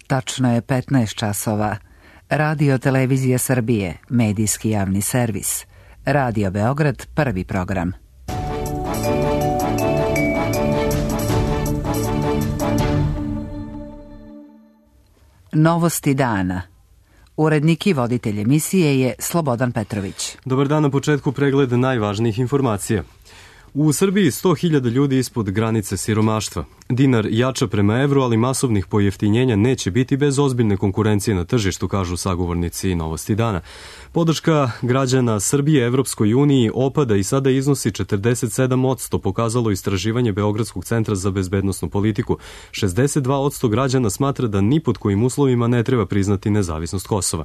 Tačno je 15 časova. Radio Televizija Srbije, medijski javni servis. Radio Beograd, prvi program. Novosti dana. Urednik i voditelj emisije je Slobodan Petrović. Dobar dan, na početku pregled najvažnijih informacija. U Srbiji 100.000 ljudi ispod granice siromaštva. Dinar jača prema evru, ali masovnih pojeftinjenja neće biti bez ozbiljne konkurencije na tržištu, kažu sagovornici Novosti dana. Podrška građana Srbije Evropskoj uniji opada i sada iznosi 47%, pokazalo istraživanje Beogradskog centra za bezbednosnu politiku. 62% građana smatra da ni pod kojim uslovima ne treba priznati nezavisnost Kosova.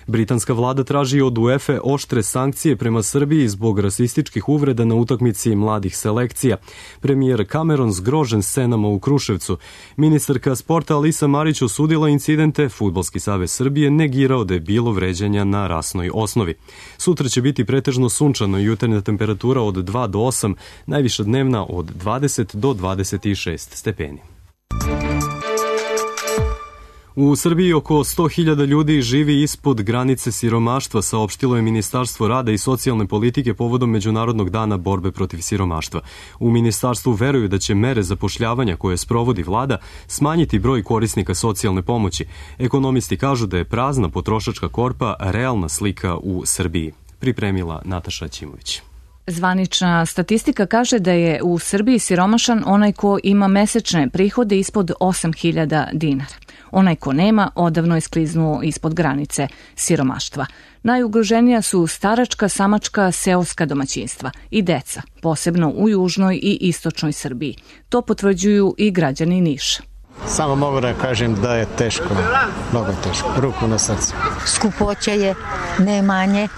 Britanska vlada traži od UEFA oštre sankcije prema Srbiji zbog rasističkih uvreda na utakmici mladih selekcija. Premijer Cameron zgrožen scenama u Kruševcu. Ministarka sporta Alisa Marić osudila incidente, Fudbalski savez Srbije negirao da je bilo vređanja na rasnoj osnovi. Sutra će biti pretežno sunčano i jutarnja temperatura od 2 do 8, najviša dnevna od 20 do 26 stepeni. U Srbiji oko 100.000 ljudi živi ispod granice siromaštva, saopštilo je Ministarstvo rada i socijalne politike povodom Međunarodnog dana borbe protiv siromaštva. U ministarstvu veruju da će mere zapošljavanja koje sprovodi vlada smanjiti broj korisnika socijalne pomoći. Ekonomisti kažu da je prazna potrošačka korpa realna slika u Srbiji. Pripremila Nataša Ćimović. Zvanična statistika kaže da je u Srbiji siromašan onaj ko ima mesečne prihode ispod 8.000 dinara. Onaj ko nema, odavno je skliznuo ispod granice siromaštva. Najugroženija su staračka, samačka, seoska domaćinstva i deca, posebno u južnoj i istočnoj Srbiji. To potvrđuju i građani Niša. Samo mogu da kažem da je teško, mnogo teško, ruku na srce. Skupoća je, nemanje,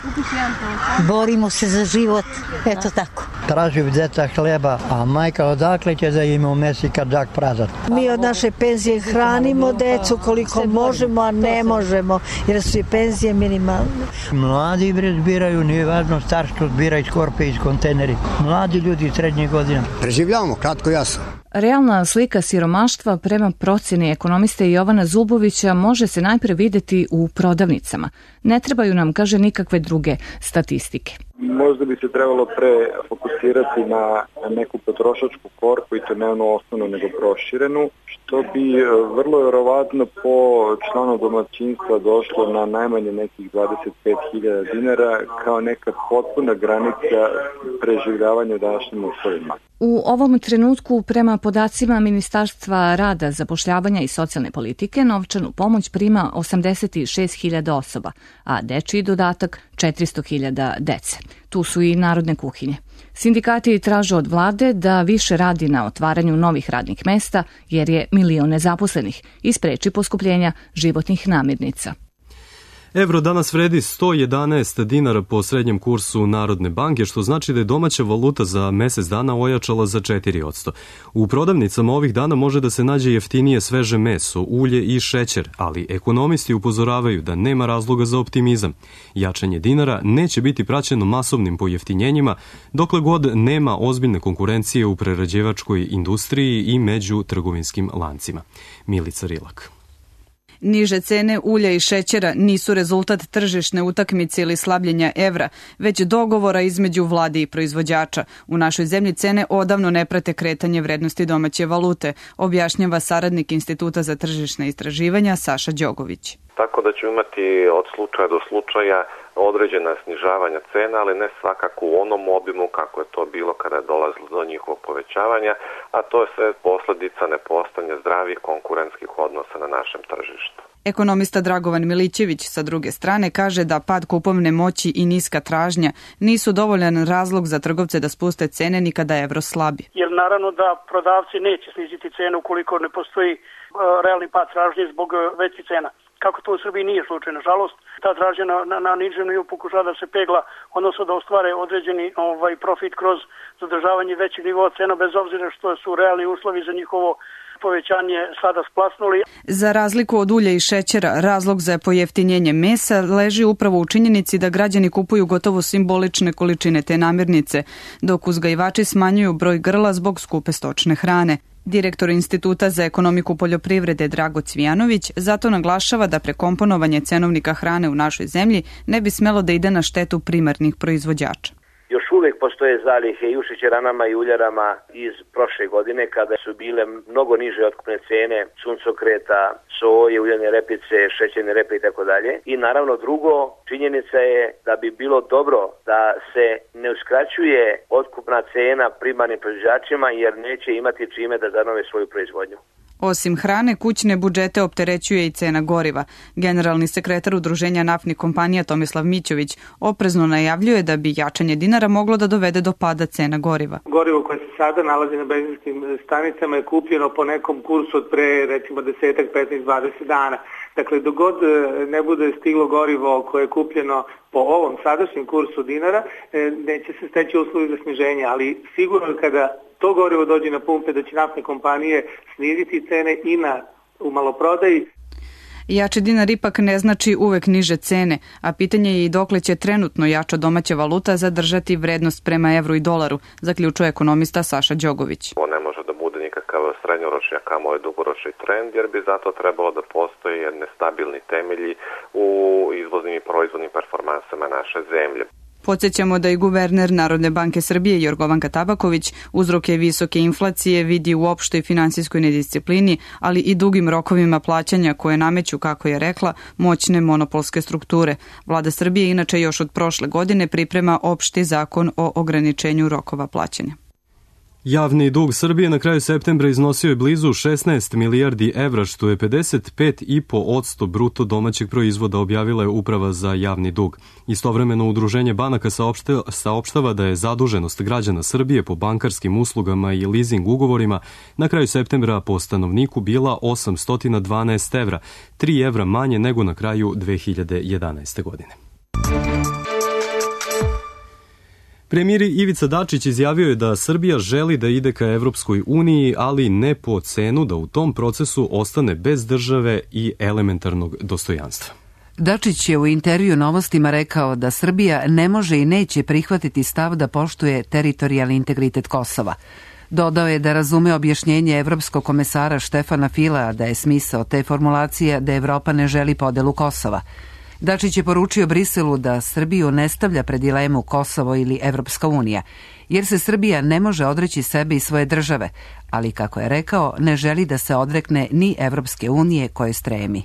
borimo se za život, eto tako. Traži djeca hleba, a majka odakle će da ima u mesi kad džak prazan. Mi od naše penzije hranimo decu koliko možemo, a ne možemo, jer su i penzije minimalne. Mladi zbiraju, nije važno starstvo, zbira iz korpe, iz kontejneri. Mladi ljudi srednje godine. Preživljavamo, kratko jasno. Realna slika siromaštva prema procjeni ekonomiste Jovana Zubovića može se najpre videti u prodavnicama. Ne trebaju nam, kaže, nikakve druge statistike. Možda bi se trebalo pre fokusirati na neku potrošačku korpu i to ne onu osnovnu nego proširenu, što bi vrlo vjerovatno po članu domaćinstva došlo na najmanje nekih 25.000 dinara kao neka potpuna granica preživljavanja u današnjim uslovima. U ovom trenutku, prema podacima Ministarstva rada, zapošljavanja i socijalne politike, novčanu pomoć prima 86.000 osoba, a dečiji dodatak 400.000 dece. Tu su i narodne kuhinje. Sindikati traže od vlade da više radi na otvaranju novih radnih mesta, jer je milion nezaposlenih i spreči poskupljenja životnih namirnica. Evro danas vredi 111 dinara po srednjem kursu Narodne banke, što znači da je domaća valuta za mesec dana ojačala za 4%. U prodavnicama ovih dana može da se nađe jeftinije sveže meso, ulje i šećer, ali ekonomisti upozoravaju da nema razloga za optimizam. Jačanje dinara neće biti praćeno masovnim pojeftinjenjima, dokle god nema ozbiljne konkurencije u prerađivačkoj industriji i među trgovinskim lancima. Milica Rilak. Niže cene ulja i šećera nisu rezultat tržišne utakmice ili slabljenja evra, već dogovora između vlade i proizvođača. U našoj zemlji cene odavno ne prate kretanje vrednosti domaće valute, objašnjava saradnik Instituta za tržišne istraživanja Saša Đogović. Tako da ćemo imati od slučaja do slučaja određena snižavanja cena, ali ne svakako u onom obimu kako je to bilo kada je dolazilo do njihovog povećavanja, a to je sve posljedica nepostojanja zdravih konkurentskih odnosa na našem tržištu. Ekonomista Dragovan Milićević sa druge strane kaže da pad kupovne moći i niska tražnja nisu dovoljan razlog za trgovce da spuste cene ni kada evro slabi. Jer naravno da prodavci neće sniziti cenu ukoliko ne postoji realni pad tražnje zbog većih cena. Kako to u Srbiji nije slučaj, nažalost, ta tražnja na nižem nivou pokušava da se pegla, odnosno da ostvare određeni profit kroz zadržavanje većeg nivoa cena, bez obzira što su realni uslovi za njihovo povećanje sada splasnuli. Za razliku od ulja i šećera, razlog za pojeftinjenje mesa leži upravo u činjenici da građani kupuju gotovo simbolične količine te namirnice, dok uzgajivači smanjuju broj grla zbog skupe stočne hrane. Direktor Instituta za ekonomiku poljoprivrede Drago Cvijanović zato naglašava da prekomponovanje cenovnika hrane u našoj zemlji ne bi smelo da ide na štetu primarnih proizvođača. Još uvijek postoje zalihe i u šećeranama i uljarama iz prošle godine kada su bile mnogo niže otkupne cene suncokreta, soje, uljane repice, šećerne repe i tako dalje. I naravno drugo, činjenica je da bi bilo dobro da se ne uskraćuje otkupna cena primarnim proizvođačima jer neće imati čime da zanove svoju proizvodnju. Osim hrane, kućne budžete opterećuje i cena goriva. Generalni sekretar Udruženja naftnih kompanija Tomislav Mićović oprezno najavljuje da bi jačanje dinara moglo da dovede do pada cena goriva. Gorivo koje se sada nalazi na benzinskim stanicama je kupljeno po nekom kursu od pre recimo 10, 15, 20 dana. Dakle, dok god ne bude stiglo gorivo koje je kupljeno po ovom sadašnjem kursu dinara, neće se steći uslovi za sniženje, ali sigurno kada to gorivo dođe na pumpe da će naftne kompanije sniziti cene i u maloprodaji. Jači dinar ipak ne znači uvek niže cene, a pitanje je i dokle će trenutno jača domaća valuta zadržati vrednost prema evru i dolaru, zaključuje ekonomista Saša Đogović. To ne može da bude nikakav srednjoročni, a kamoli dugoročni trend, jer bi zato trebalo da postoje jedne stabilni temelji u izvoznim i proizvodnim performansama naše zemlje. Podsjećamo da i guverner Narodne banke Srbije Jorgovanka Tabaković uzroke visoke inflacije vidi u opštoj finansijskoj nedisciplini, ali i dugim rokovima plaćanja koje nameću, kako je rekla, moćne monopolske strukture. Vlada Srbije inače još od prošle godine priprema opšti zakon o ograničenju rokova plaćanja. Javni dug Srbije na kraju septembra iznosio je blizu 16 milijardi evra, što je 55,5% bruto domaćeg proizvoda, objavila je Uprava za javni dug. Istovremeno Udruženje banaka saopštava da je zaduženost građana Srbije po bankarskim uslugama i leasing ugovorima na kraju septembra po stanovniku bila 812 evra, 3 evra manje nego na kraju 2011. godine. Premijer Ivica Dačić izjavio je da Srbija želi da ide ka Evropskoj uniji, ali ne po cenu da u tom procesu ostane bez države i elementarnog dostojanstva. Dačić je u intervju Novostima rekao da Srbija ne može i neće prihvatiti stav da poštuje teritorijalni integritet Kosova. Dodao je da razume objašnjenje evropskog komesara Štefana Filea da je smisao te formulacije da Evropa ne želi podelu Kosova. Dačić je poručio Briselu da Srbiju ne stavlja pred dilemu Kosovo ili Evropska unija, jer se Srbija ne može odreći sebe i svoje države, ali, kako je rekao, ne želi da se odrekne ni Evropske unije koje stremi.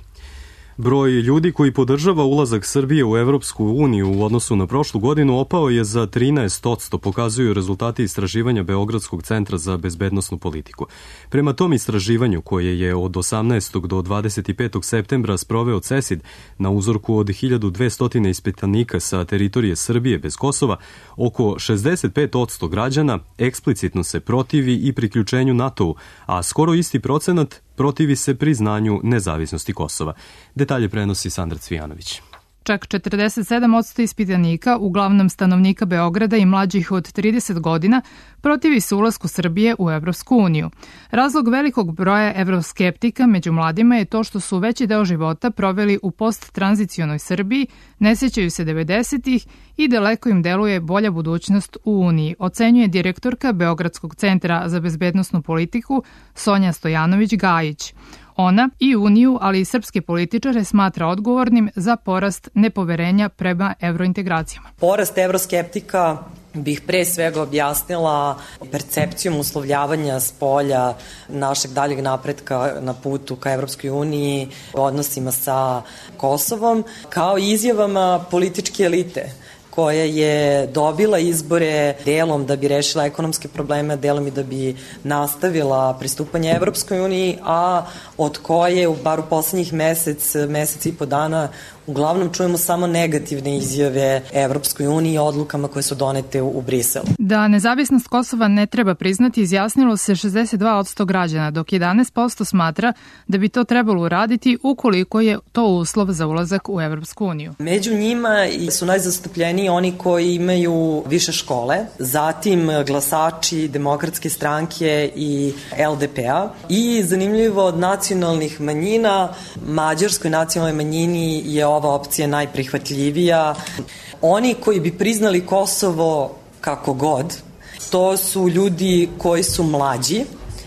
Broj ljudi koji podržava ulazak Srbije u Evropsku uniju u odnosu na prošlu godinu opao je za 13%, pokazuju rezultati istraživanja Beogradskog centra za bezbednosnu politiku. Prema tom istraživanju, koje je od 18. do 25. septembra sproveo CESID na uzorku od 1200 ispitanika sa teritorije Srbije bez Kosova, oko 65% građana eksplicitno se protivi i priključenju NATO-u, a skoro isti procenat protivi se priznanju nezavisnosti Kosova. Detalje prenosi Sandra Cvijanović. Čak 47% ispitanika, uglavnom stanovnika Beograda i mlađih od 30 godina, protivi se ulasku Srbije u Evropsku uniju. Razlog velikog broja evroskeptika među mladima je to što su veći deo života proveli u posttranzicionoj Srbiji, ne sjećaju se 90-ih i daleko im deluje bolja budućnost u Uniji, ocenjuje direktorka Beogradskog centra za bezbednosnu politiku Sonja Stojanović-Gajić. Ona i Uniju, ali i srpske političare smatra odgovornim za porast nepoverenja prema evrointegracijama. Porast evroskeptika bih pre svega objasnila percepcijom uslovljavanja s polja našeg daljeg napretka na putu ka Evropskoj uniji, odnosima sa Kosovom, kao i izjavama političke elite koja je dobila izbore delom da bi rešila ekonomske probleme, delom i da bi nastavila pristupanje Evropskoj uniji, a od koje, bar u poslednjih mesec i po dana, uglavnom čujemo samo negativne izjave Evropskoj uniji i odlukama koje su donete u Briselu. Da nezavisnost Kosova ne treba priznati izjasnilo se 62% građana, dok 11% smatra da bi to trebalo uraditi ukoliko je to uslov za ulazak u Evropsku uniju. Među njima su najzastupljeniji oni koji imaju više škole, zatim glasači Demokratske stranke i LDP-a i zanimljivo od nacionalnih manjina, mađarskoj nacionalnoj manjini je ova opcija najprihvatljivija. Oni koji bi priznali Kosovo kako god, to su ljudi koji su mlađi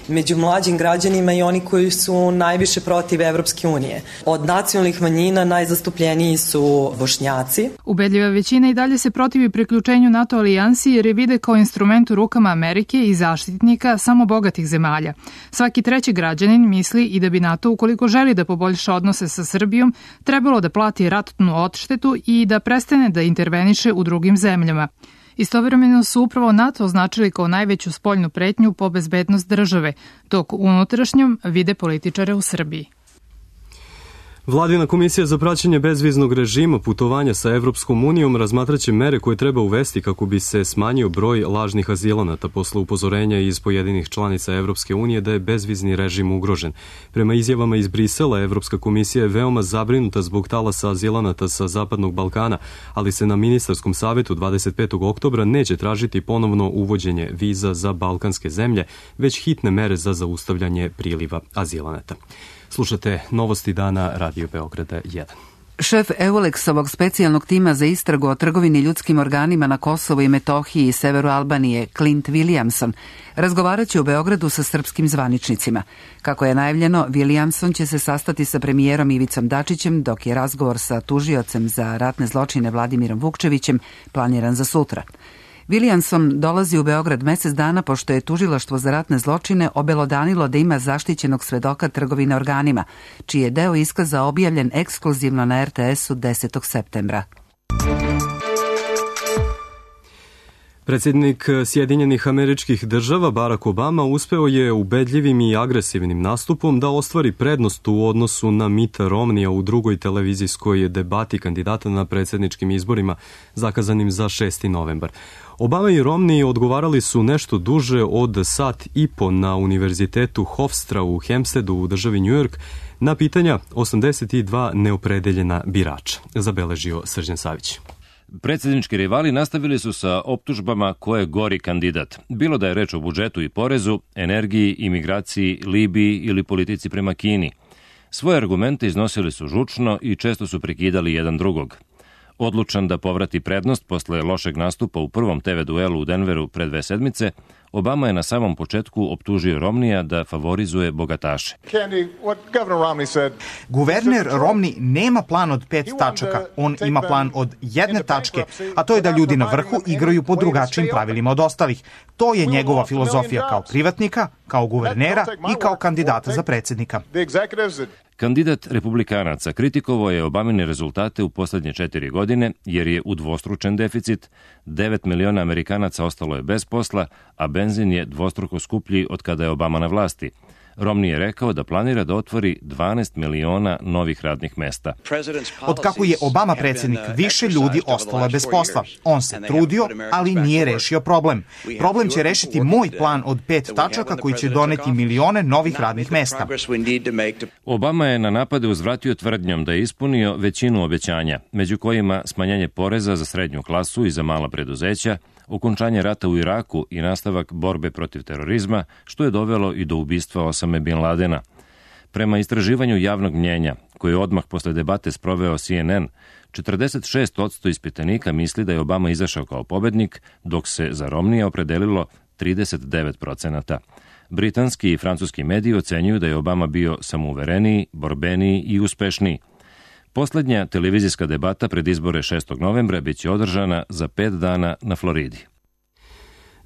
među mlađim građanima i oni koji su najviše protiv Evropske unije. Od nacionalnih manjina najzastupljeniji su Bošnjaci. Ubedljiva većina i dalje se protivi priključenju NATO alijansi jer je vide kao instrument u rukama Amerike i zaštitnika samo bogatih zemalja. Svaki treći građanin misli i da bi NATO, ukoliko želi da poboljša odnose sa Srbijom, trebalo da plati ratnu odštetu i da prestane da interveniše u drugim zemljama. Istovremeno su upravo NATO označili kao najveću spoljnu pretnju po bezbednost države, dok unutrašnjom vide političare u Srbiji. Vladina komisija za praćenje bezviznog režima putovanja sa Evropskom unijom razmatraće mere koje treba uvesti kako bi se smanjio broj lažnih azilanata posle upozorenja iz pojedinih članica Evropske unije da je bezvizni režim ugrožen. Prema izjavama iz Brisela, Evropska komisija je veoma zabrinuta zbog talasa azilanata sa Zapadnog Balkana, ali se na ministarskom savetu 25. oktobra neće tražiti ponovno uvođenje viza za balkanske zemlje, već hitne mere za zaustavljanje priliva azilanata. Slušate novosti dana Radio Beograda 1. Šef Eulexovog specijalnog tima za istragu o trgovini ljudskim organima na Kosovu i Metohiji i severu Albanije, Clint Williamson, razgovarat će u Beogradu sa srpskim zvaničnicima. Kako je najavljeno, Williamson će se sastati sa premijerom Ivicom Dačićem, dok je razgovor sa tužiocem za ratne zločine Vladimirom Vukčevićem planiran za sutra. Williamson dolazi u Beograd mesec dana pošto je tužilaštvo za ratne zločine obelodanilo da ima zaštićenog svedoka trgovine organima, čiji je deo iskaza objavljen ekskluzivno na RTS-u 10. septembra. Predsjednik Sjedinjenih Američkih Država Barack Obama uspeo je ubedljivim i agresivnim nastupom da ostvari prednost u odnosu na Mitta Romneya u drugoj televizijskoj debati kandidata na predsjedničkim izborima zakazanim za 6. novembar. Obama i Romney odgovarali su nešto duže od sat i po na Univerzitetu Hofstra u Hempsteadu u državi New York na pitanja 82 neopredeljena birača, zabeležio Srđan Savić. Predsjednički rivali nastavili su sa optužbama ko je gori kandidat. Bilo da je reč o budžetu i porezu, energiji, imigraciji, Libiji ili politici prema Kini. Svoje argumente iznosili su žučno i često su prekidali jedan drugog. Odlučan da povrati prednost posle lošeg nastupa u prvom TV duelu u Denveru pre 2 sedmice, Obama je na samom početku optužio Romneya da favorizuje bogataše. Guverner Romney nema plan od 5 tačaka, on ima plan od 1 tačke, a to je da ljudi na vrhu igraju po drugačijim pravilima od ostalih. To je njegova filozofija kao privatnika, kao guvernera i kao kandidata za predsjednika. Kandidat republikanaca kritikovao je Obamine rezultate u poslednje 4 godine jer je udvostručen deficit, 9 miliona Amerikanaca ostalo je bez posla, a benzin je dvostruko skuplji od kada je Obama na vlasti. Romney je rekao da planira da otvori 12 miliona novih radnih mesta. Od kako je Obama predsjednik, više ljudi ostalo je bez posla. On se trudio, ali nije rešio problem. Problem će rešiti moj plan od 5 tačaka koji će doneti milione novih radnih mesta. Obama je na napade uzvratio tvrdnjom da je ispunio većinu obećanja, među kojima smanjenje poreza za srednju klasu i za mala preduzeća, okončanje rata u Iraku i nastavak borbe protiv terorizma, što je dovelo i do ubistva Osame Bin Ladena. Prema istraživanju javnog mnjenja, koje je odmah posle debate sproveo CNN, 46% ispitanika misli da je Obama izašao kao pobednik, dok se za Romneya opredelilo 39%. Britanski i francuski mediji ocenjuju da je Obama bio samouvereniji, borbeniji i uspešniji. Poslednja televizijska debata pred izbore 6. novembra biće održana za 5 dana na Floridi.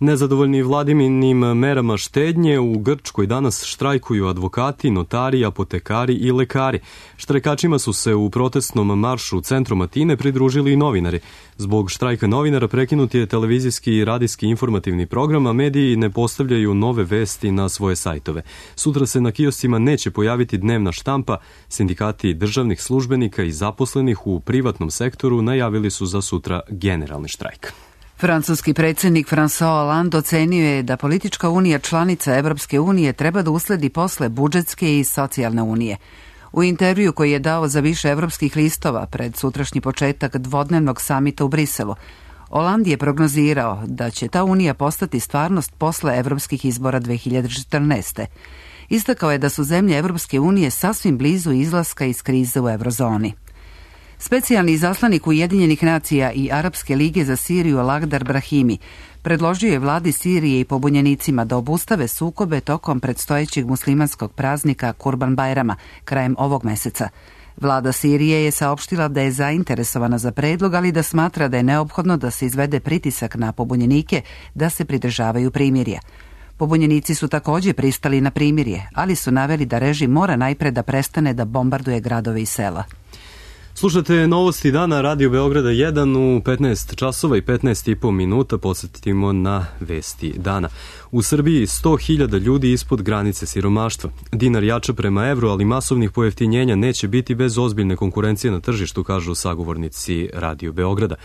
Nezadovoljni Vladiminim merama štednje u Grčkoj danas štrajkuju advokati, notari, apotekari i lekari. Štrajkačima su se u protestnom maršu u centru Atine pridružili i novinari. Zbog štrajka novinara prekinut je televizijski i radijski informativni program, a mediji ne postavljaju nove vesti na svoje sajtove. Sutra se na kioscima neće pojaviti dnevna štampa. Sindikati državnih službenika i zaposlenih u privatnom sektoru najavili su za sutra generalni štrajk. Francuski predsjednik François Hollande ocenio je da politička unija članica Evropske unije treba da usledi posle budžetske i socijalne unije. U intervju koji je dao za više evropskih listova pred sutrašnji početak dvodnevnog samita u Briselu, Hollande je prognozirao da će ta unija postati stvarnost posle evropskih izbora 2014. Istakao je da su zemlje Evropske unije sasvim blizu izlaska iz krize u eurozoni. Specijalni izaslanik Ujedinjenih nacija i Arapske lige za Siriju Lagdar Brahimi predložio je vladi Sirije i pobunjenicima da obustave sukobe tokom predstojećeg muslimanskog praznika Kurban Bajrama krajem ovog meseca. Vlada Sirije je saopštila da je zainteresovana za predlog, ali da smatra da je neophodno da se izvede pritisak na pobunjenike da se pridržavaju primirja. Pobunjenici su također pristali na primirje, ali su naveli da režim mora najpre da prestane da bombarduje gradove i sela. Slušate novosti dana Radio Beograda 1 u 15 časova i 15,5 minuta. Podsjetimo na vesti dana. U Srbiji 100.000 ljudi ispod granice siromaštva. Dinar jača prema evru, ali masovnih pojeftinjenja neće biti bez ozbiljne konkurencije na tržištu, kažu sagovornici Radio Beograda.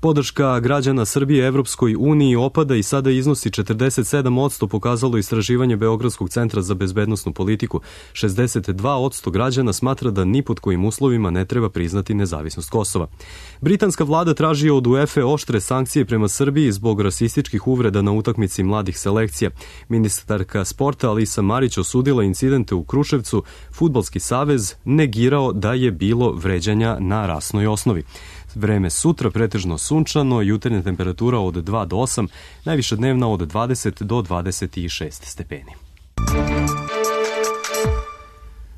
Podrška građana Srbije Evropskoj uniji opada i sada iznosi 47%, pokazalo istraživanje Beogradskog centra za bezbednosnu politiku. 62% građana smatra da ni pod kojim uslovima ne treba priznati nezavisnost Kosova. Britanska vlada traži od UEFA oštre sankcije prema Srbiji zbog rasističkih uvreda na utakmici mladih selekcija. Ministarka sporta Alisa Marić osudila incidente u Kruševcu. Fudbalski savez negirao da je bilo vređanja na rasnoj osnovi. Vreme sutra pretežno sunčano, jutarnja temperatura od 2 do 8, najviša dnevna od 20 do 26 stepeni.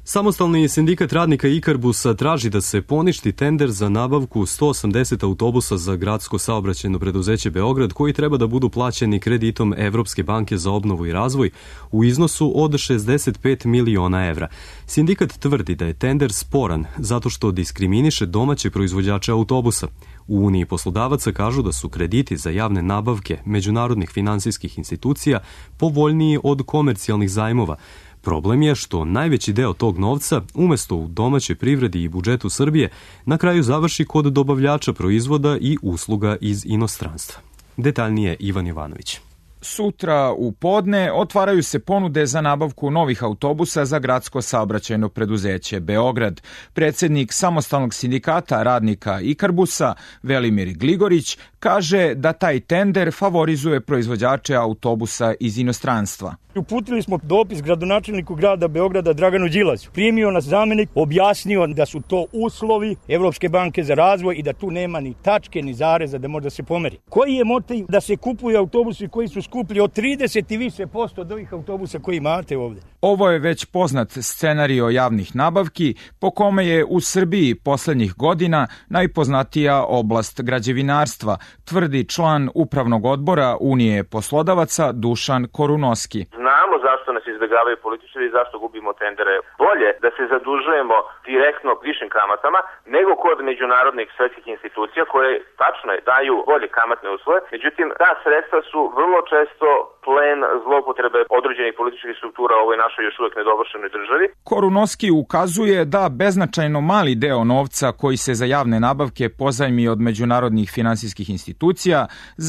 Samostalni sindikat radnika Ikarbusa traži da se poništi tender za nabavku 180 autobusa za gradsko saobraćajno preduzeće Beograd, koji treba da budu plaćeni kreditom Evropske banke za obnovu i razvoj u iznosu od 65 miliona evra. Sindikat tvrdi da je tender sporan zato što diskriminiše domaće proizvođače autobusa. U Uniji poslodavaca kažu da su krediti za javne nabavke međunarodnih finansijskih institucija povoljniji od komercijalnih zajmova. Problem je što najveći deo tog novca, umesto u domaćoj privredi i budžetu Srbije, na kraju završi kod dobavljača proizvoda i usluga iz inostranstva. Detaljnije Ivan Jovanović. Sutra u podne otvaraju se ponude za nabavku novih autobusa za gradsko saobraćajno preduzeće Beograd. Predsjednik samostalnog sindikata radnika Ikarbusa, Velimir Gligorić, kaže da taj tender favorizuje proizvođače autobusa iz inostranstva. Uputili smo dopis gradonačelniku grada Beograda Draganu Đilasu. Primio nas zamenik, objasnio da su to uslovi Evropske banke za razvoj i da tu nema ni tačke ni zareza da može da se pomeri. Koji je motiv da se kupuju autobusi koji su skuplji od 30 i više posto od ovih autobusa koji imate ovdje? Ovo je već poznat scenario javnih nabavki po kome je u Srbiji poslednjih godina najpoznatija oblast građevinarstva, tvrdi član upravnog odbora Unije poslodavaca Dušan Korunoski. Znamo zašto nas izbjegavaju političari i zašto gubimo tendere. Bolje da se zadužujemo direktno višim kamatama nego kod međunarodnih svetskih institucija koje tačno daju bolje kamatne uslove. Međutim, ta sredstva su vrlo često plen zloupotrebe određenih političkih struktura u ovoj našoj još uvijek nedovršenoj državi. Korunoski ukazuje da beznačajno mali deo novca koji se za javne nabavke pozajmi od međunarodnih finansijskih institucija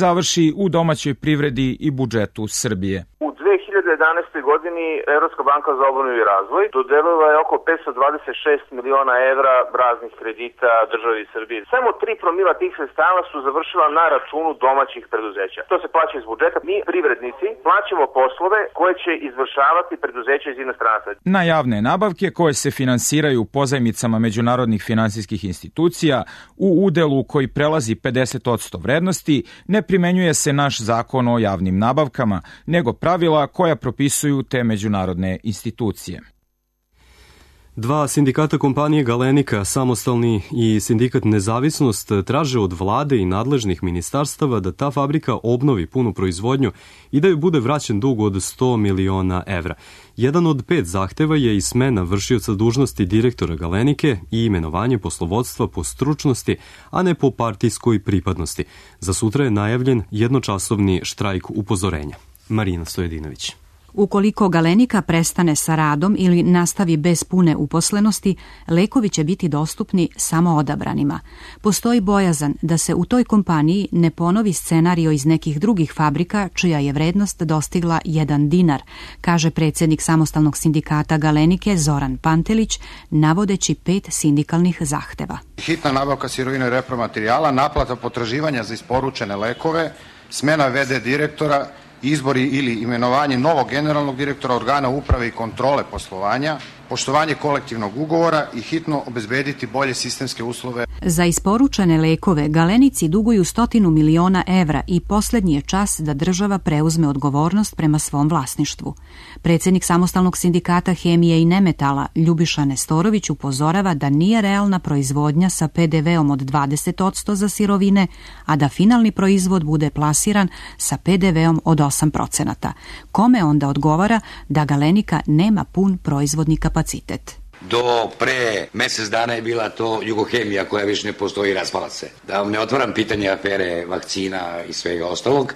završi u domaćoj privredi i budžetu Srbije. U 2011. godini Evropska banka za obnovu i razvoj dodelila je oko 526 miliona evra raznih kredita državi Srbije. Samo 3% tih sredstava su završila na računu domaćih preduzeća. To se plaća iz budžeta. Mi, privrednici, plaćamo poslove koje će izvršavati preduzeća iz inostranstva. Na javne nabavke koje se finansiraju pozajmicama međunarodnih finansijskih institucija u udelu koji prelazi 50% vrednosti ne primenjuje se naš zakon o javnim nabavkama, nego pravila koja propisuju te međunarodne institucije. Dva sindikata kompanije Galenika, Samostalni i sindikat Nezavisnost, traže od vlade i nadležnih ministarstava da ta fabrika obnovi punu proizvodnju i da joj bude vraćen dug od 100 miliona evra. Jedan od 5 zahteva je i smena vršioca dužnosti direktora Galenike i imenovanje poslovodstva po stručnosti, a ne po partijskoj pripadnosti. Za sutra je najavljen jednočasovni štrajk upozorenja. Marina Stojedinović. Ukoliko Galenika prestane sa radom ili nastavi bez pune uposlenosti, lekovi će biti dostupni samo odabranima. Postoji bojazan da se u toj kompaniji ne ponovi scenario iz nekih drugih fabrika čija je vrednost dostigla 1 dinar, kaže predsjednik samostalnog sindikata Galenike Zoran Pantelić, navodeći 5 sindikalnih zahteva. Hitna nabavka sirovine i repromaterijala, naplata potraživanja za isporučene lekove, smena VD direktora, izbori ili imenovanje novog generalnog direktora organa uprave i kontrole poslovanja, poštovanje kolektivnog ugovora i hitno obezbediti bolje sistemske uslove. Za isporučene lekove Galenici duguju 100 miliona evra i poslednji je čas da država preuzme odgovornost prema svom vlasništvu. Predsjednik Samostalnog sindikata hemije i nemetala Ljubiša Nestorović upozorava da nije realna proizvodnja sa PDV-om od 20% za sirovine, a da finalni proizvod bude plasiran sa PDV-om od 8%. Kome onda odgovara da Galenika nema pun proizvodni kapacitet? Do pre mesec dana je bila to Jugohemija koja više ne postoji i raspala se. Da vam ne otvaram pitanje afere vakcina i svega ostalog.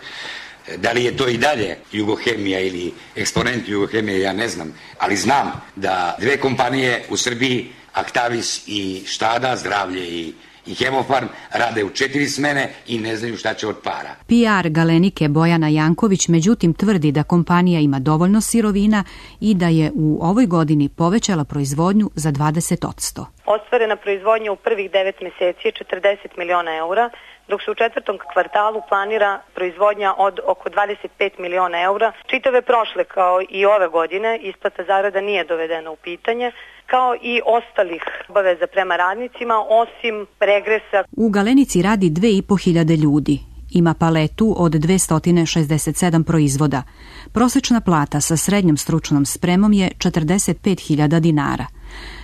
Da li je to i dalje Jugohemija ili eksponent Jugohemije, ja ne znam. Ali znam da dve kompanije u Srbiji, Actavis i Štada, Zdravlje i Hemofarm, rade u 4 smene i ne znaju šta će od para. PR Galenike Bojana Janković međutim tvrdi da kompanija ima dovoljno sirovina i da je u ovoj godini povećala proizvodnju za 20%. Ostvarena proizvodnja u prvih 9 meseci je 40 miliona eura, dok se u četvrtom kvartalu planira proizvodnja od oko 25 miliona eura. Čitave prošle kao i ove godine isplata zarada nije dovedena u pitanje, kao i ostalih obaveza prema radnicima, osim regresa. U Galenici radi 2.500 ljudi. Ima paletu od 267 proizvoda. Prosečna plata sa srednjom stručnom spremom je 45.000 dinara.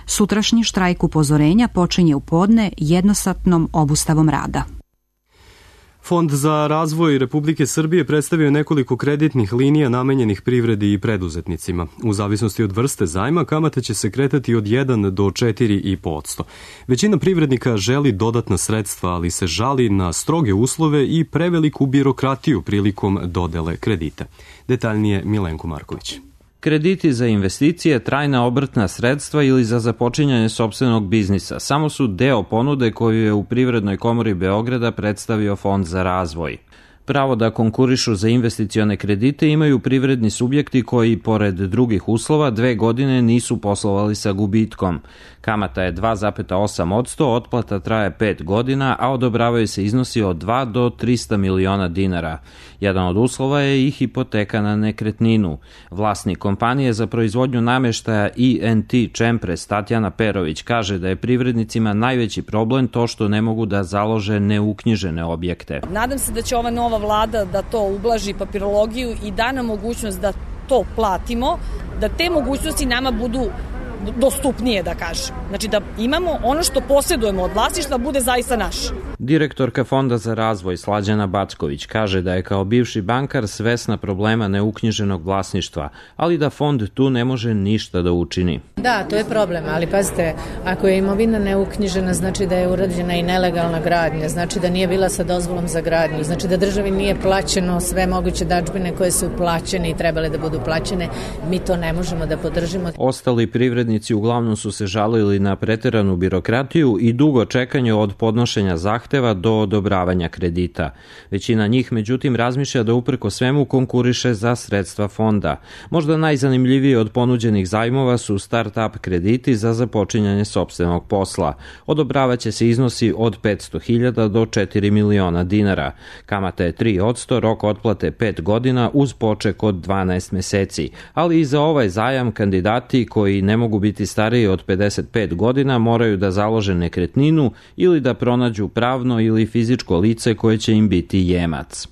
Sutrašnji štrajk upozorenja počinje u podne jednosatnom obustavom rada. Fond za razvoj Republike Srbije predstavio nekoliko kreditnih linija namenjenih privredi i preduzetnicima. U zavisnosti od vrste zajma, kamate će se kretati od 1 do 4,5%. Većina privrednika želi dodatna sredstva, ali se žali na stroge uslove i preveliku birokratiju prilikom dodele kredita. Detaljnije Milenko Marković. Krediti za investicije, trajna obrtna sredstva ili za započinjanje sopstvenog biznisa samo su deo ponude koju je u Privrednoj komori Beograda predstavio Fond za razvoj. Pravo da konkurišu za investicione kredite imaju privredni subjekti koji, pored drugih uslova, 2 godine nisu poslovali sa gubitkom. Kamata je 2,8%, otplata traje 5 godina, a odobravaju se iznosi od 2 do 300 miliona dinara. Jedan od uslova je i hipoteka na nekretninu. Vlasnik kompanije za proizvodnju namještaja INT Čempres, Tatjana Perović, kaže da je privrednicima najveći problem to što ne mogu da založe neuknjižene objekte. Nadam se da će ova nova vlada da to ublaži papirologiju i da nam mogućnost da to platimo, da te mogućnosti nama budu dostupnije, da kažem. Znači da imamo ono što posjedujemo od vlasništva bude zaista naš. Direktorka Fonda za razvoj Slađana Backović kaže da je kao bivši bankar svesna problema neuknjiženog vlasništva, ali da fond tu ne može ništa da učini. Da, to je problem, ali pazite, ako je imovina neuknjižena, znači da je urađena i nelegalna gradnja, znači da nije bila sa dozvolom za gradnju, znači da državi nije plaćeno sve moguće dažbine koje su plaćene i trebale da budu plaćene, mi to ne možemo da podržimo. Ostali privrednici uglavnom su se žalili na preteranu birokratiju i dugo čekanje od podnošenja zahteva do odobravanja kredita. Većina njih, međutim, razmišlja da uprko svemu konkuriše za sredstva fonda. Možda najzanimljiviji od ponuđenih zajmova su start-up krediti za započinjanje sopstvenog posla. Odobravaće se iznosi od 500.000 do 4 miliona dinara. Kamata je 3%, rok otplate 5 godina uz poček od 12 meseci. Ali i za ovaj zajam kandidati koji ne mogu biti stariji od 55 godina moraju da založe nekretninu ili da pronađu pravno ili fizičko lice koje će im biti jemac.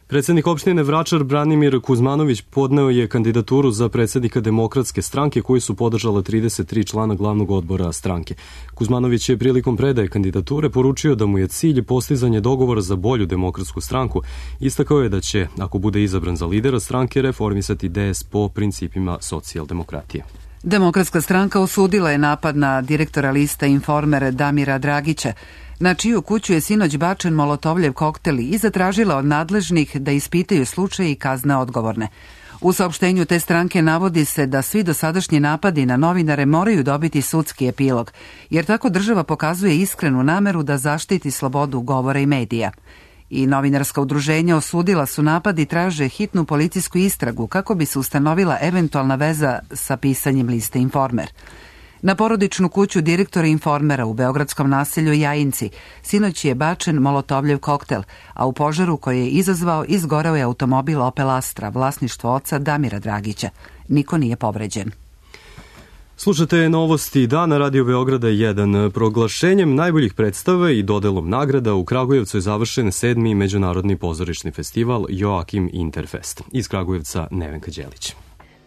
Predsjednik opštine Vračar Branimir Kuzmanović podneo je kandidaturu za predsjednika Demokratske stranke koju su podržala 33 člana glavnog odbora stranke. Kuzmanović je prilikom predaje kandidature poručio da mu je cilj postizanje dogovora za bolju demokratsku stranku. Istakao je da će, ako bude izabran za lidera stranke, reformisati DS po principima socijaldemokratije. Demokratska stranka osudila je napad na direktora lista Informer Damira Dragića, na čiju kuću je sinoć bačen molotovljev koktel i zatražila od nadležnih da ispitaju slučaj i kazne odgovorne. U saopštenju te stranke navodi se da svi dosadašnji napadi na novinare moraju dobiti sudski epilog, jer tako država pokazuje iskrenu nameru da zaštiti slobodu govora i medija. I novinarska udruženja osudila su napad i traže hitnu policijsku istragu kako bi se ustanovila eventualna veza sa pisanjem liste Informer. Na porodičnu kuću direktora Informera u beogradskom naselju Jajinci sinoć je bačen molotovljev koktel, a u požaru koji je izazvao izgoreo je automobil Opel Astra, vlasništvo oca Damira Dragića. Niko nije povređen. Slušate novosti dana Radio Beograda 1. Proglašenjem najboljih predstava i dodelom nagrada u Kragujevcu je završen 7. međunarodni pozorišni festival Joakim Interfest. Iz Kragujevca Nevenka Đelić.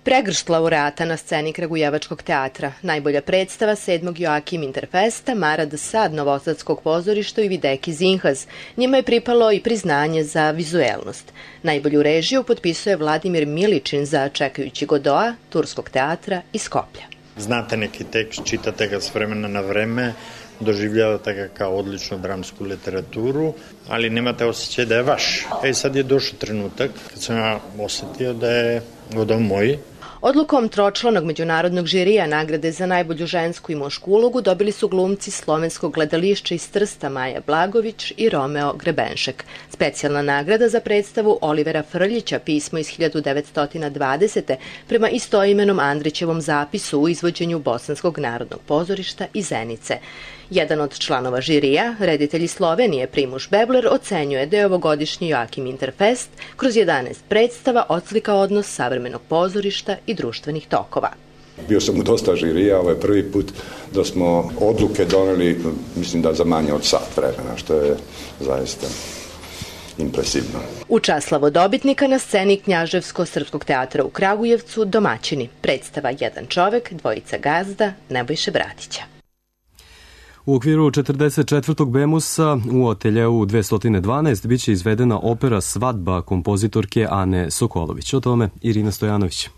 Pregršt laureata na sceni Kragujevačkog teatra, najbolja predstava 7. Joakim Interfesta, Marad Sad Novosadskog pozorišta i Videki Zinhaz. Njima je pripalo i priznanje za vizuelnost. Najbolju režiju potpisuje Vladimir Miličin za Čekajući Godoa, Turskog teatra iz Skoplja. Znate neki tekst, čitate ga s vremena na vreme, doživljavate ga kao odličnu dramsku literaturu, ali nemate osjećaj da je vaš. Sad je došao trenutak kad sam ja osetio da je Godov moj. Odlukom tročlanog međunarodnog žirija nagrade za najbolju žensku i mušku ulogu dobili su glumci Slovenskog gledališća iz Trsta Maja Blagović i Romeo Grebenšek. Specijalna nagrada za predstavu Olivera Frljića Pismo iz 1920. prema istoimenom Andrićevom zapisu u izvođenju Bosanskog narodnog pozorišta iz Zenice. Jedan od članova žirija, reditelj iz Slovenije Primuš Bebler, ocenjuje da je ovogodišnji Joakim Interfest kroz 11 predstava odslikao odnos savremenog pozorišta i društvenih tokova. Bio sam u dosta žirija, ovo je prvi put da smo odluke doneli, mislim da za manje od sat vremena, što je zaista impresivno. U čast slavodobitnika na sceni Knjaževsko-srpskog teatra u Kragujevcu domaćini. Predstava Jedan čovek, dvojica gazda, Nebojše Bratića. U okviru 44. Bemusa u ateljeu 212 biće izvedena opera Svadba kompozitorke Ane Sokolović. O tome Irina Stojanović.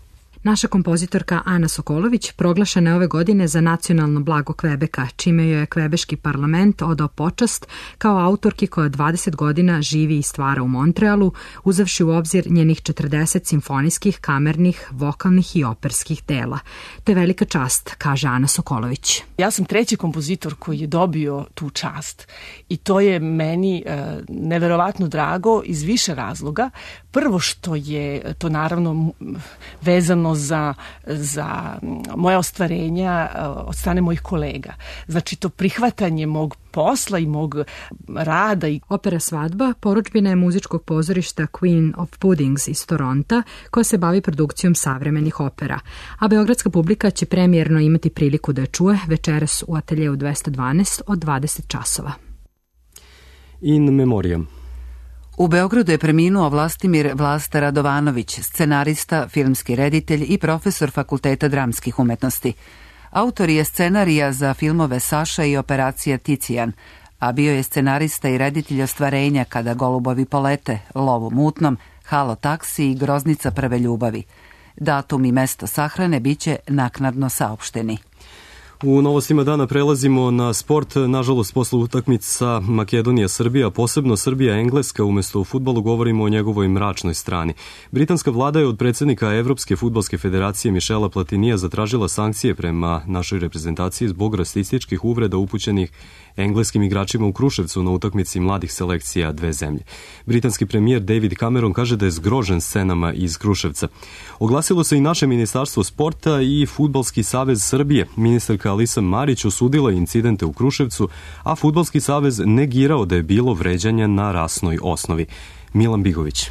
Naša kompozitorka Ana Sokolović proglašena je ove godine za nacionalno blago Kvebeka, čime joj je kvebeški parlament odao počast kao autorki koja 20 godina živi i stvara u Montrealu, uzavši u obzir njenih 40 simfonijskih, kamernih, vokalnih i operskih dela. To je velika čast, kaže Ana Sokolović. Ja sam treći kompozitor koji je dobio tu čast i to je meni neverovatno drago iz više razloga. Prvo što je to naravno vezano za moja ostvarenja od strane mojih kolega. Znači to prihvatanje mog posla i mog rada. Opera Svadba porudžbina je muzičkog pozorišta Queen of Puddings iz Toronta koja se bavi produkcijom savremenih opera, a beogradska publika će premijerno imati priliku da je čuje večeras u ateljeu 212 od 20 časova. In memoriam. U Beogradu je preminuo Vlastimir Vlasta Radovanović, scenarista, filmski reditelj i profesor Fakulteta dramskih umetnosti. Autor je scenarija za filmove Saša i Operacija Ticijan, a bio je scenarista i reditelj ostvarenja Kada golubovi polete, Lov u mutnom, Halo taksi i Groznica prve ljubavi. Datum i mesto sahrane biće naknadno saopšteni. U novostima dana prelazimo na sport. Nažalost, posle utakmica Makedonija-Srbija, posebno Srbija-Engleska, umesto u fudbalu govorimo o njegovoj mračnoj strani. Britanska vlada je od predsjednika Evropske fudbalske federacije Mišela Platinija zatražila sankcije prema našoj reprezentaciji zbog rasističkih uvreda upućenih engleskim igračima u Kruševcu na utakmici mladih selekcija dve zemlje. Britanski premijer David Cameron kaže da je zgrožen scenama iz Kruševca. Oglasilo se i naše ministarstvo sporta i Fudbalski savez Srbije. Ministarka Alisa Marić osudila incidente u Kruševcu, a Fudbalski savez negirao da je bilo vređanja na rasnoj osnovi. Milan Bigović.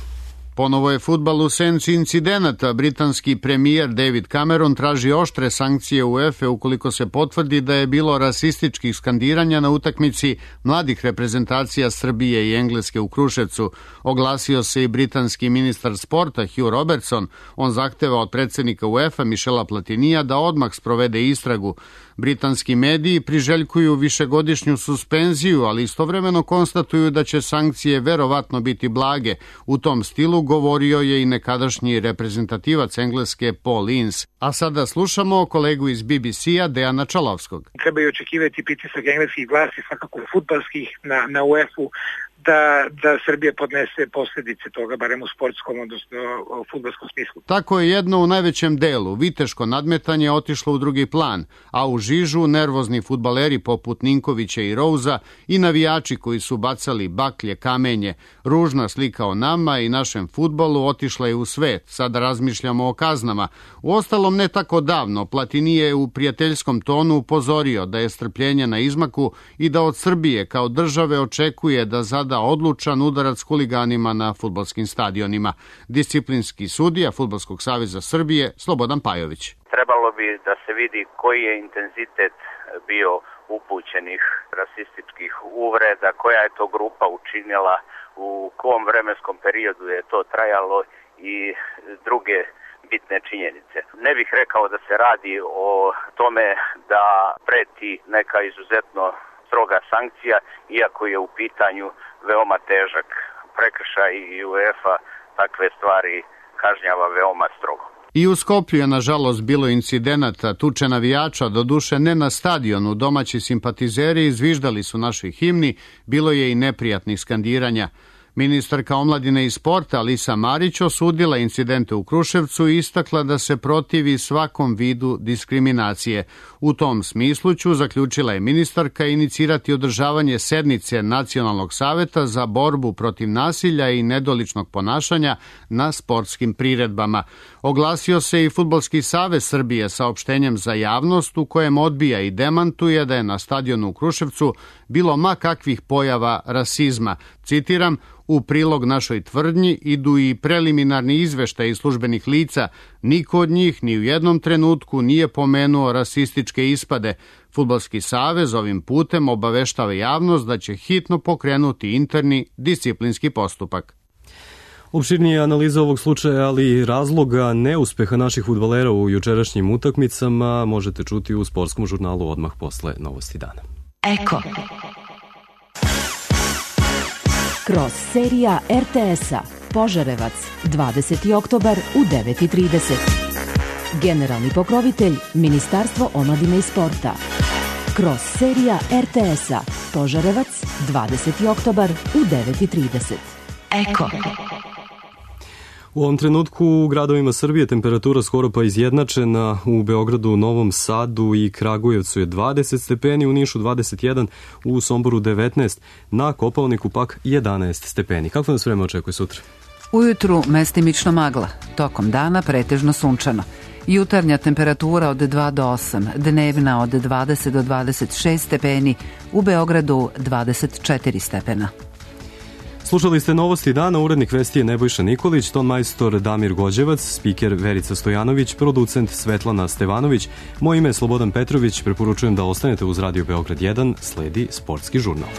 Ponovo je fudbal u senci incidenata. Britanski premijer David Cameron traži oštre sankcije UEFA ukoliko se potvrdi da je bilo rasističkih skandiranja na utakmici mladih reprezentacija Srbije i Engleske u Kruševcu. Oglasio se i britanski ministar sporta Hugh Robertson. On zahteva od predsjednika UEFA Mišela Platinija da odmah sprovede istragu. Britanski mediji priželjkuju višegodišnju suspenziju, ali istovremeno konstatuju da će sankcije verovatno biti blage. U tom stilu govorio je i nekadašnji reprezentativac Engleske Paul Ince. A sada slušamo kolegu iz BBC-a Dejana Čalovskog. Trebaju očekivati pritisak engleskih vlasti, svakako fudbalskih, na UEFA da Srbija podnese posljedice toga, barem u sportskom, odnosno u fudbalskom smislu. Tako je jedno u najvećem delu. Viteško nadmetanje otišlo u drugi plan, a u žižu nervozni fudbaleri poput Ninkovića i Rouza i navijači koji su bacali baklje, kamenje. Ružna slika o nama i našem fudbalu otišla je u svet. Sada razmišljamo o kaznama. Uostalom, ne tako davno, Platini je u prijateljskom tonu upozorio da je strpljenje na izmaku i da od Srbije kao države očekuje da zada odlučan udarac huliganima na fudbalskim stadionima. Disciplinski sudija Fudbalskog saveza Srbije Slobodan Pajović. Trebalo bi da se vidi koji je intenzitet bio upućenih rasističkih uvreda, koja je to grupa učinila, u kom vremenskom periodu je to trajalo i druge bitne činjenice. Ne bih rekao da se radi o tome da preti neka izuzetno stroga sankcija, iako je u pitanju veoma težak prekršaj i UEFA takve stvari kažnjava veoma strogo. I u Skoplju je nažalost bilo incidenata, tuče navijača, doduše ne na stadionu, domaći simpatizeri izviždali su našoj himni, bilo je i neprijatnih skandiranja. Ministarka omladine i sporta Alisa Marić osudila incidente u Kruševcu i istakla da se protivi svakom vidu diskriminacije. U tom smislu ću, zaključila je ministarka, inicirati održavanje sednice Nacionalnog saveta za borbu protiv nasilja i nedoličnog ponašanja na sportskim priredbama. Oglasio se i Fudbalski savez Srbije saopštenjem za javnost u kojem odbija i demantuje da je na stadionu u Kruševcu bilo ma kakvih pojava rasizma. Citiram, u prilog našoj tvrdnji idu i preliminarni izveštaji službenih lica. Niko od njih ni u jednom trenutku nije pomenuo rasističke ispade. Fudbalski savez ovim putem obaveštava javnost da će hitno pokrenuti interni disciplinski postupak. Opširnije analiza ovog slučaja, ali i razloga neuspeha naših fudbalera u jučerašnjim utakmicama možete čuti u sportskom žurnalu odmah posle Novosti dana. Eko. Kroz serija RTS-a Požarevac, 20. oktobar u 9:30. Generalni pokrovitelj Ministarstvo omladine i sporta. Kroz serija RTS-a Požarevac, 20. oktobar u 9:30. Eko. U ovom trenutku u gradovima Srbije temperatura skoro pa izjednačena. U Beogradu, Novom Sadu i Kragujevcu je 20 stepeni, u Nišu 21, u Somboru 19, na Kopaoniku pak 11 stepeni. Kako nas vreme očekuje sutra? Ujutru mestimično magla, tokom dana pretežno sunčano. Jutarnja temperatura od 2 do 8, dnevna od 20 do 26 stepeni, u Beogradu 24 stepena. Slušali ste Novosti dana, urednik vesti je Nebojša Nikolić, ton majstor Damir Gođevac, spiker Verica Stojanović, producent Svetlana Stevanović. Moje ime je Slobodan Petrović, preporučujem da ostanete uz Radio Beograd 1, sledi sportski žurnal.